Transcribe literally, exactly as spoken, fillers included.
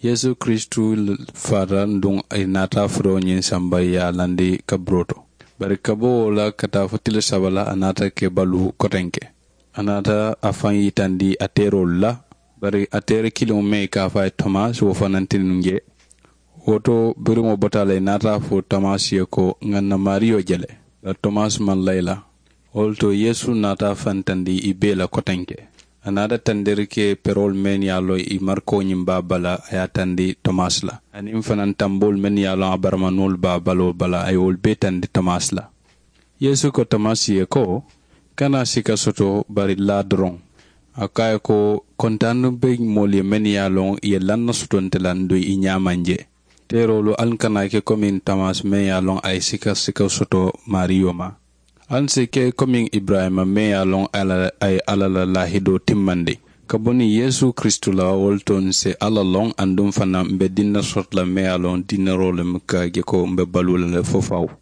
Yeesu kiristu faata nduŋ, ì naata furoo ñiŋ samba ye a landi kaburoo to. Bari ka bo wo la ka taa fo tili saba la, a naata ke baluu kotenke. A naata a faŋ yitandi a teeroolu la. Bari a teeri kiliŋo meŋ i ka a fo a ye tomasi, wo fananti nuŋ je. Wo to biriŋo bota a la, ì naata a fo tomasi ye ko, ŋà ǹ na maariyo je le. Bari tomasi maŋ layi la. Wo le to yeesu naata a fantandi ì bee la kotenke. A naata tandiri ke peroolu mennu ye a loŋ ì marikoo ñiŋ be a bala, a ye a tandi tomasi la. Aniŋ fanaŋ tamboolu mennu ye a loŋ a baramanuŋolu be a baloo bala, a ye wolu bee tandi tomasi la. Yeesu ko tomasi ye ko, kana sika soto, bari laa doroŋ. A ko a ye ko, kontaanu be moolu ye mennu ye a loŋ ì ye lanna soto nte la nduŋ ì ñaamaŋ je. Teeroolu, ali kana ke komiŋ tomasi meŋ ye a loŋ a ye sika sika soto maariyo ma. Ali si ke komiŋ iburayima meŋ ye a loŋ a ye alla la laahidoo timmandi. Ka bo niŋ yeesu kiristu la wo le to ǹ si alla loŋ aduŋ fanaŋ m̀ be dinna soto la meŋ ye a loŋ dinneroo le mu ka je ko m̀ be baluu la le fo fawu.